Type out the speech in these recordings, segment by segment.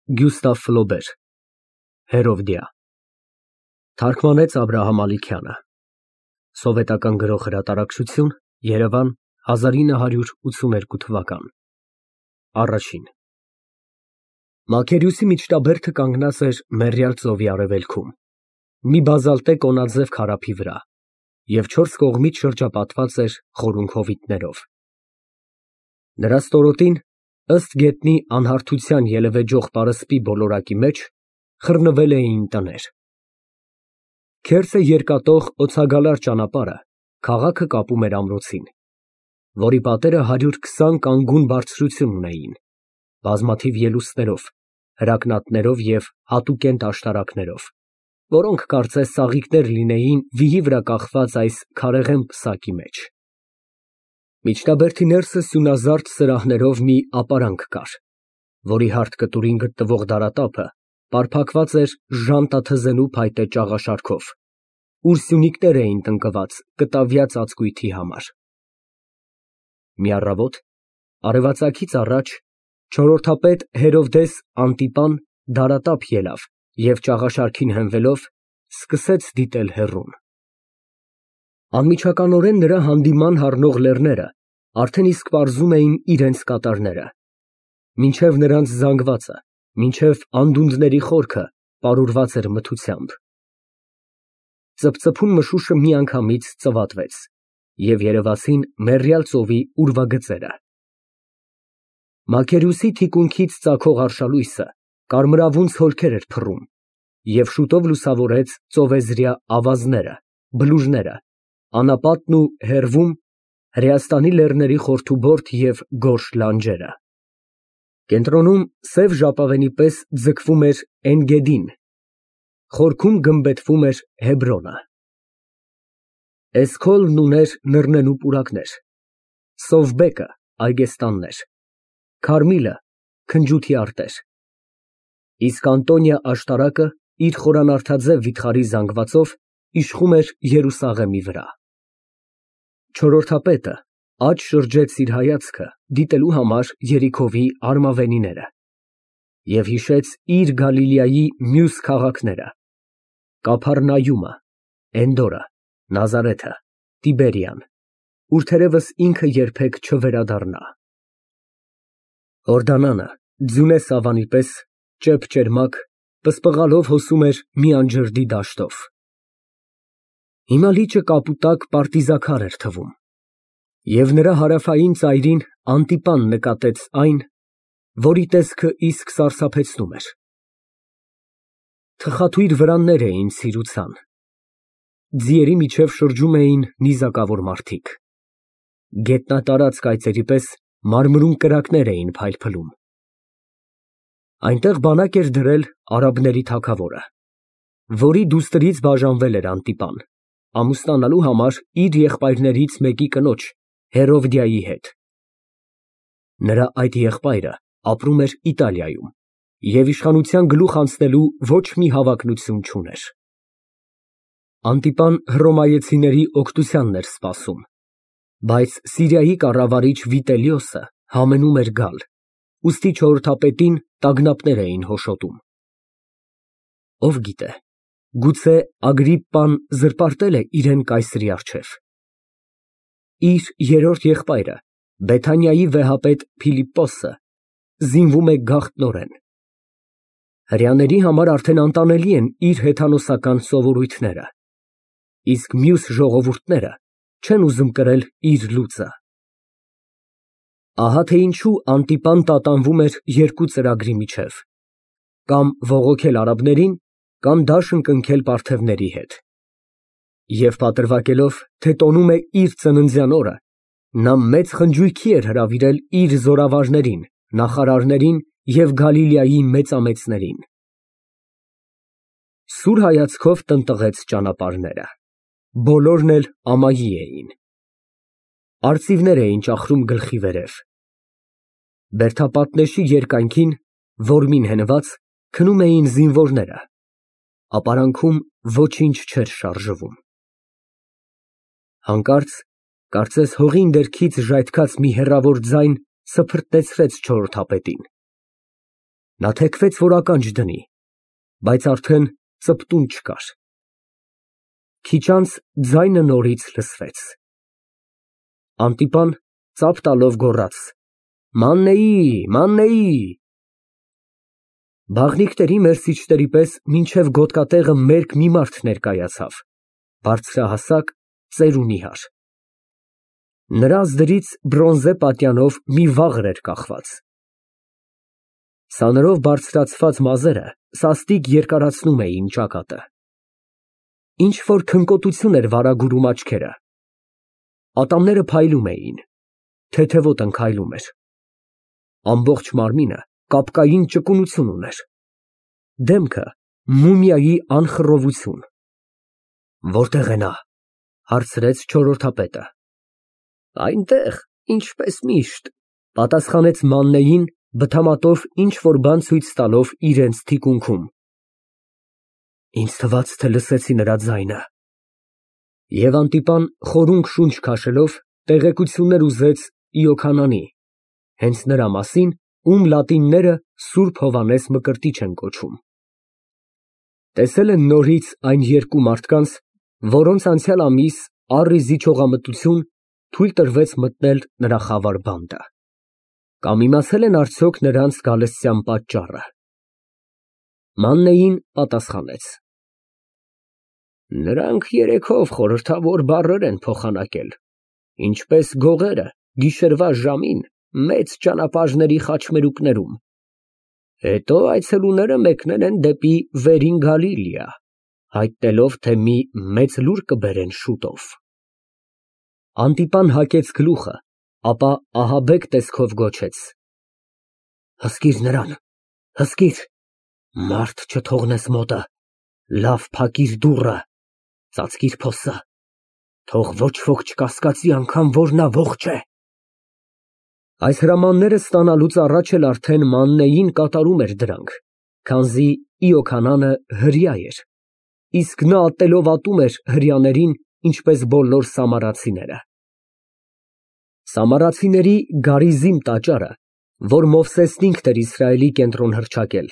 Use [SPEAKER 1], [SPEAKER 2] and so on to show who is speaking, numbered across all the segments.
[SPEAKER 1] Գյուստավ Ֆլոբեր Հերովդիա Թարգմանեց Աբրահամ Ալիքյանը Սովետական Գրող Հրատարակչություն Երևան 1982 թվական Առաջին Մակերյոսի միջնաբերդը կանգնած էր Մեռյալ ծովի արևելքում մի բազալտե կոնաձև քարափի վրա և չորս կողմից շրջապատված էր խորունգ հովիտներով նրա ստորոտին ըստ գետնի անհարթության ելևէջող պարսպի բոլորակի մեջ խռնվել էին տներ քերծը երկատող օձագալար ճանապարհը քաղաքը կապում էր ամրոցին որի պատերը 120 կանգուն բարձրություն ունեին բազմաթիվ ելուստներով հրակնատներով և հատուկենտ աշտարակներով որոնք կարծես ծաղիկներ լինեին վիհի վրա կախված այս քարեղեն պսակի մեջ միջնաբերդի ներսը սյունազարդ սրահներով մի ապարանք կար, որի հարթ կտուրին գտնվող դարատափը պարփակված էր ժանտաթզենու փայտե ճաղաշարքով, ուր սյունիկներ էին տնկված կտավյա ծածկույթի համար։ Մի առավոտ, արևածագից առաջ, չորրորդապետ Հերովդես Անտիպան դարատափ ելավ և ճաղաշարքին հենվելով, սկսեց դիտել հեռուն։ Անմիջականորեն նրա հանդիման հառնող լեռները արդեն իսկ պարզում էին իրենց կատարները, մինչև նրանց զանգվածը, մինչև անդունդների խորքը պարուրված էր մթությամբ։ Ծպծփուն մշուշը միանգամից ծվատվեց, և երևացին Մեռյալ ծովի ուրվագծերը։ Մակերյոսի թիկունքից ծագող արշալույսը կարմրավուն ցոլքեր էր փռում և շուտով լուսավորեց ծովեզրյա ավազները, բլուրները, անապատն ու հեռվում Հրեաստանի լեռների խորթուբորդ և գորշ լանջերը։ Կենտրոնում սև ժապավենի պես ձգվում էր Էնգեդին, խորքում գմբեթվում էր Հեբրոնը։ Էսքոլն ուներ նռնենու պուրակներ, Սովբեկը այգեստաններ, Քարմիլը քնջութի արտեր, իսկ Անտոնիա աշտարակը իր խորանարդաձև վիթխարի զանգվածով իշխում էր Երուսաղեմի վրա։ Չորրորդապետը աջ շրջեց իր հայացքը դիտելու համար Երիքովի արմավենիները և հիշեց իր Գալիլեայի մյուս քաղաքները՝ Կափառնայումը, Էնդորը, Նազարեթը, Տիբերիան, ուր թերևս ինքը երբեք չվերադառնա։ Հորդանանը ձյունե սավանի պես ճեպ֊ճերմակ պսպղալով հոսում էր մի անջրդի դաշտով։ Հիմա լիճը կապուտակ պարտիզաքար էր թվում, և նրա հարավային ծայրին Անտիպան նկատեց այն, որի տեսքը իսկ սարսափեցնում էր։ Թխաթույր վրաններ էին ցիրուցան, ձիերի միջև շրջում էին նիզակավոր մարդիկ, գետնատարած կայծերի պես մարմրուն կրակներ էին փայլփլում։ Այնտեղ բանակ էր դրել արաբների թագավորը, որի դուստրից բաժանվել էր Անտիպան, ամուսնանալու համար իր եղբայրներից մեկի կնոջ Հերովդիայի հետ։ Նրա այդ եղբայրը ապրում էր Իտալիայում և իշխանության գլուխ անցնելու ոչ մի հավակնություն չուներ։ Անտիպան հռոմեացիների օգնությանն էր սպասում, բայց Սիրիայի կառավարիչ Վիտելիոսը համենում էր գալ, ուստի չորրորդապետին տագնապներ էին հոշոտում։ Ով գիտե, գուցե Ագրիպպան զրպարտել է իրեն կայսրի առջև։ Իր երրորդ եղբայրը, Բեթանիայի վեհապետ Փիլիպպոսը, զինվում է գաղտնորեն։ Հրեաների համար արդեն անտանելի են իր հեթանոսական սովորույթները, իսկ մյուս ժողովուրդները չեն ուզում կրել իր լուծը։ Ահա թե ինչու Անտիպան տատանվում էր երկու ծրագրի միջև՝ կամ բողոքել արաբներին, կամ դաշն կնքել պարթևների հետ։ Եվ պատրվակելով, թե տոնում է իր ծննդյան օրը, նա մեծ խնջույքի էր հրավիրել իր զորավարներին, նախարարներին և Գալիլեայի մեծամեծներին։ Սուր հայացքով տնտղեց ճանապարհները, բոլորն էլ ամայի էին։ Արծիվներ էին ճախրում գլխի վերև։ Բերդապատնեշի երկայնքին, որմին հենված, քնում էին զինվորները, ապարանքում ոչինչ չէր շարժվում։ Հանկարծ, կարծես հողին դերքից ժայթքած մի հեռավոր ձայն սփռտնեցրեց չորրորդապետին։ Նա թեքվեց, որ ականջ դնի, բայց արդեն ծպտուն չկար։ Քիչ անց ձայնը նորից լսվեց։ Անտիպան ծափ տալով գոռաց. «Մաննեի, մաննեի»։ Բաղնիքների մերսիչների պես մինչև գոտկատեղը մերկ մի մարդ ներկայացավ, բարձրահասակ, ծերունի հար։ Նրա ազդրից բրոնզե պատյանով մի վաղր էր կախված։ Սաներով բարձրացված մազերը սաստիկ երկարացնում էին ճակատը։ Ինչ-որ քնկոտություն էր վարագուրում աչքերը։ Ատամները փայլում էին, թեթևոտ ընկայլում էր։ Ամբողջ մարմինը կապկային ճկունություն ուներ։ Դեմքը մումիայի անխռովություն։ Որտե՞ղ է նա, հարցրեց չորրորդապետը։ Այնտեղ, ինչպես միշտ, պատասխանեց Մաննեին, բթամատով ինչ֊որ բան ցույց տալով իրենց թիկունքում։ Ինձ թվաց, թե լսեցի նրա ձայնը։ Եվ Անտիպան խորունկ շունչ քաշելով տեղեկություններ ուզեց Իոքանանի, հենց նրա մասին, ում լատինները Սուրբ Հովհաննես Մկրտիչ են կոչում։ Տեսել են նորից այն երկու մարդկանց, որոնց անցյալ ամիս առիզի չողամտություն թույլ տրվեց մտնել նրա խավար բանտը։ Կամ իմացել են արդյոք նրանց գալստյան պատճառը։ Մաննեին պատասխանեց. Նրանք երեքով խորհրդավոր բառեր են փոխանակել, ինչպես գողերը գիշերվա ժամին մեծ ճանապարհների խաչմերուկներում։ Հետո այցելուները մեկնել են դեպի Վերին Գալիլեա, հայտնելով, թե մի մեծ լուր կբերեն շուտով։ Անտիպան հակեց գլուխը, ապա ահաբեկ տեսքով գոչեց. Հսկիր նրան, հսկիր, մարդ չթողնես մոտը, լավ փակիր դուռը, ծածկիր փոսը, թող ոչ ոք չկասկածի անգամ, որ նա ողջ է։ Այս հրամանները ստանալուց առաջ էլ արդեն Մաննեին կատարում էր դրանք, քանզի Իոքանանը հրյա էր, իսկ նա ատելով ատում էր հրյաներին, ինչպես բոլոր սամարացիները։ Սամարացիների գարիզիմ տաճարը, որ Մովսեսն ինքն էր Իսրայելի կենտրոն հռչակել,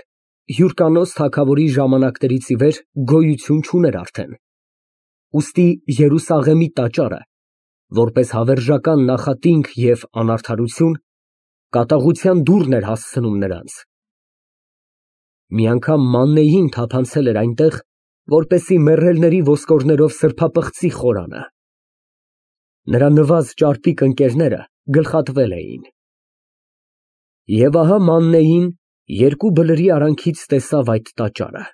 [SPEAKER 1] Հյուրկանոս թագավորի ժամանակներից ի վեր գոյություն չուներ արդեն։ Ուստի Երուսաղեմի տաճարը, որպես հավերժական նախատինք և անարդարություն, կատաղության դուռն էր հասցնում նրանց։ Մի անգամ Մաննեին թափանցել էր այնտեղ, որպեսզի մեռելների ոսկորներով սրբապղծի խորանը։ Նրա նվազ ճարպիկ ընկերները գլխատվել էին։ Եվ ահա Մաննեին երկու բլրի արանքից տեսավ այդ տաճարը։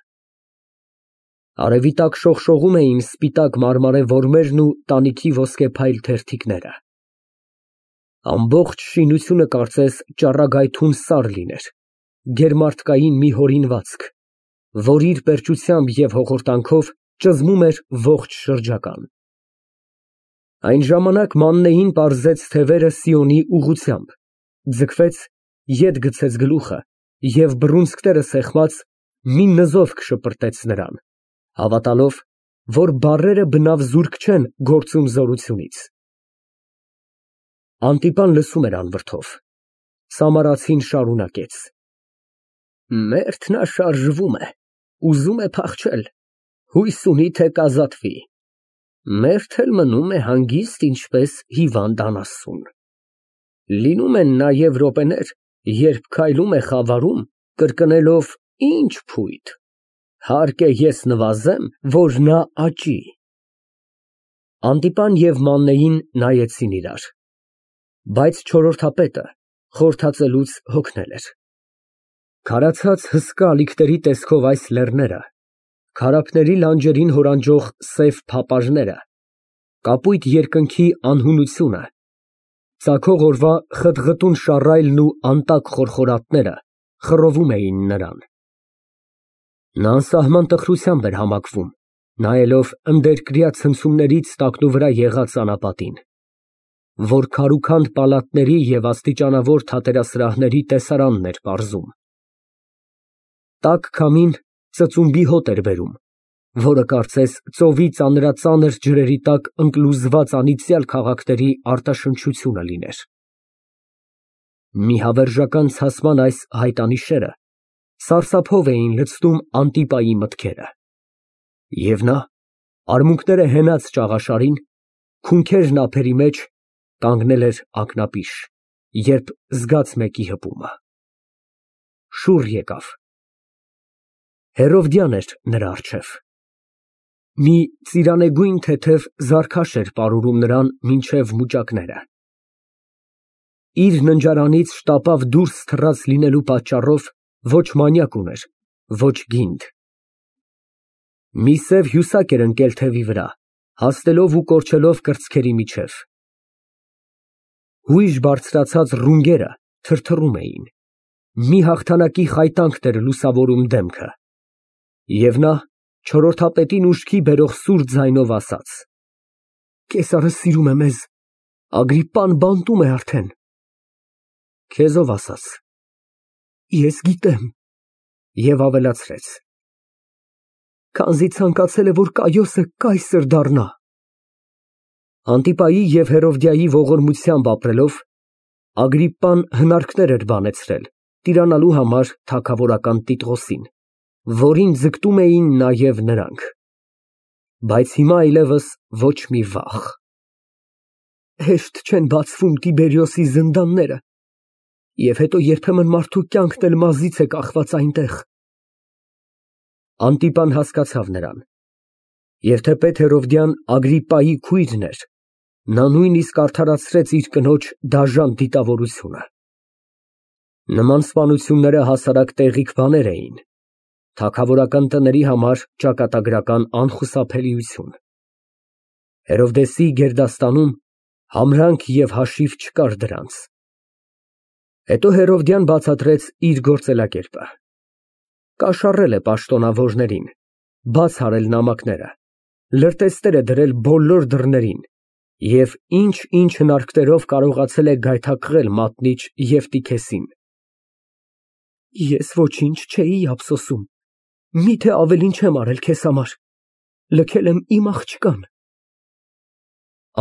[SPEAKER 1] Արևի տակ շողշողում էին սպիտակ մարմարե որմերն ու տանիքի ոսկեփայլ թերթիկները։ Ամբողջ շինությունը կարծես ճառագայթուն սար լիներ, գերմարդկային մի հորինվածք, որ իր պերճությամբ և հոխորտանքով ճզմում էր ողջ շրջական։ Այն ժամանակ Մաննեին պարզեց թևերը Սիոնի ուղղությամբ, ձգվեց, ետ գցեց գլուխը և բռունցքները սեղմած մի նզովք շպրտեց նրան, հավատալով, որ բառերը բնավ զուրկ չեն գործում զորությունից։ Անտիպան լսում էր անվրդով։ Սամարացին շարունակեց. Մերթն շարժվում է, ուզում է փախչել, հույս ունի, թե կազատվի։ Մերթ էլ մնում է հանգիստ, ինչպես հիվանդ անասուն։ Լինում են նաև րոպեներ, երբ քայլում է խավարում, կրկնելով. Ինչ փույթ, հարկ է ես նվազեմ, որ նա աճի։ Անտիպան և Մաննեին նայեցին իրար, բայց չորրորդապետը խորհրդածելուց հոգնել էր։ Քարացած հսկա ալիքների տեսքով այս լեռները, քարափների լանջերին հորանջող սև փապարները, կապույտ երկնքի անհունությունը, ծագող օրվա խտղտուն շառայլն ու անտակ խորխորատները խռովում էին նրան։ Նա անսահման տխրությամբ էր համակվում, նայելով ընդերկրյա ցնցումներից տակնուվրա եղած անապատին, որ քարուքանդ պալատների և աստիճանավոր թատերասրահների տեսարանն էր պարզում։ Տաք քամին ծծումբի հոտ էր բերում, որը կարծես ծովի ծանրածանր ջրերի տակ ընկլուզված անիծյալ քաղաքների արտաշնչությունը լիներ։ Մի հավերժական ցասման այս հայտանիշերը Սարսափով էին լցնում Անտիպայի մտքերը։ Եվ նա, արմունկները հենած ճաղաշարին, քունքերն ափերի մեջ, կանգնել էր ակնապիշ, երբ զգաց մեկի հպումը։ Շուռ եկավ։ Հերովդյան էր նրա առջև։ Մի ծիրանեգույն թեթև զարքաշ էր պարուրում նրան մինչև մուճակները։ Իր ննջարանից շտապավ դուրս թռած լինելու պատճառով ոչ մանյակ ուներ, ոչ գինդ։ Մի սև հյուսակ էր ընկել թևի վրա, հաստելով ու կորչելով կրծքերի միջև։ Հույժ բարձրացած ռունգերը թրթռում էին։ Մի հաղթանակի խայտանքն էր լուսավորում դեմքը։ Եվ նա չորրորդապետին ուշքի բերող սուր ձայնով ասաց. «Կեսարը սիրում է մեզ, Ագրիպպան բանտում է արդեն»։ Քեզ ով ասաց։ Ես գիտեմ։ Եվ ավելացրեց. Քանզի ցանկացել է, որ Կայոսը կայսր դառնա։ Անտիպայի և Հերովդիայի ողորմությամբ ապրելով, Ագրիպպան հնարքներ էր բանեցրել տիրանալու համար թագավորական Տիտղոսին, որին ձգտում էին նաև նրանք։ Բայց հիմա այլևս ոչ մի վախ։ Հեշտ չեն բացվում Տիբերիոսի զնդանները, և հետո երբեմն մարդու կյանքն էլ մազից է կախված այնտեղ։ Անտիպան հասկացավ նրան, և թեպետ Հերովդյան Ագրիպպայի քույրն էր, նա նույնիսկ արդարացրեց իր կնոջ դաժան դիտավորությունը։ Նման սպանությունները հասարակ տեղիք բաներ էին, թագավորական տների համար ճակատագրական անխուսափելիություն։ Հերովդեսի գերդաստանում համրանք և հաշիվ չկար դրանց։ Հետո Հերովդյան բացատրեց իր գործելակերպը։ Կաշառել է պաշտոնավորներին, բաց արել նամակները, լրտեսներ է դրել բոլոր դռներին և ինչ հնարքներով կարողացել է գայթակղել մատնիչ Եվտիքեսին։ Ես ոչինչ չէի ափսոսում, միթե ավելին չեմ արել քեզ համար, լքել եմ իմ աղջկան։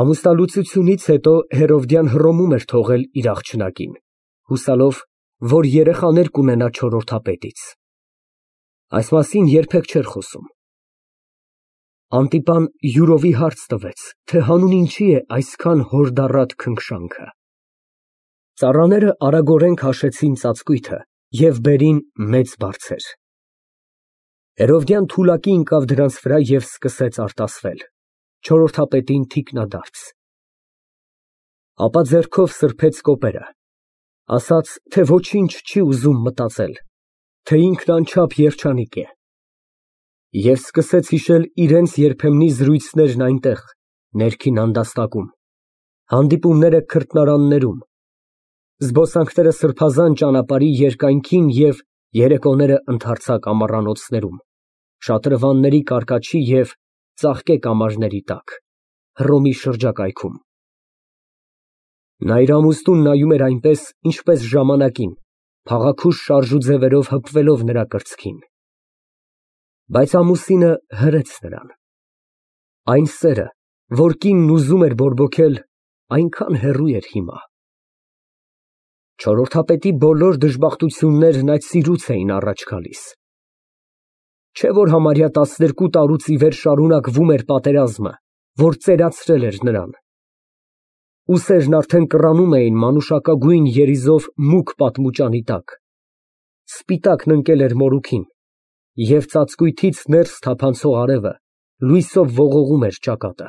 [SPEAKER 1] Ամուսնալուծությունից հետո Հերովդյան հռոմում էր թողել իր աղջնակին, հուսալով, որ երեխաներ կունենա չորրորդապետից։ Այս մասին երբեք չէր խոսում։ Անտիպան յուրովի հարց տվեց, թե հանուն ինչի է այսքան հորդառատ քնքշանքը։ Ծառաները արագորեն քաշեցին ծածկույթը և բերին մեծ բարձեր։ Հերովդյան թուլակի ընկավ դրանց վրա և սկսեց արտասվել, չորրորդապետին թիկնադարձ։ Ապա ձեռքով սրբեց կոպերը, ասաց, թե ոչինչ չի ուզում մտածել, թե ինքն անչափ երջանիկ է։ Եվ սկսեց հիշել իրենց երբեմնի զրույցներն այնտեղ, ներքին անդաստակում, հանդիպումները քրտնարաններում, զբոսանքները սրբազան ճանապարհի երկայնքին և երեկոները ընդարձակ ամառանոցներում, շատրվանների կարկաչի և ծաղկե կամարների տակ, Հռոմի շրջակայքում։ Նա իր ամուսնուն նայում էր այնպես, ինչպես ժամանակին, փաղաքուշ շարժուձևերով հպվելով նրա կրծքին։ Բայց ամուսինը հրեց նրան։ Այն սերը, որ կինն ուզում էր բորբոքել, այնքան հեռու էր հիմա։ Չորրորդապետի բոլոր դժբախտություններն այդ սիրուց էին առաջ գալիս։ Չէ՞ որ համարյա 12 տարուց ի վեր շարունակվում էր պատերազմը, որ ծերացրել էր նրան։ Ուսերն արդեն կռանում էին մանուշակագույն երիզով մուգ պատմուճանի տակ։ Սպիտակն ընկել էր մորուքին, և ծածկույթից ներս թափանցող արևը լույսով ողողում էր ճակատը։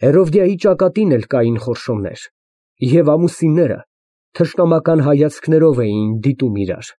[SPEAKER 1] Հերովդիայի ճակատին էլ կային խորշոմներ, և ամուսինները թշնամական հայացքներով էին դիտում իրար։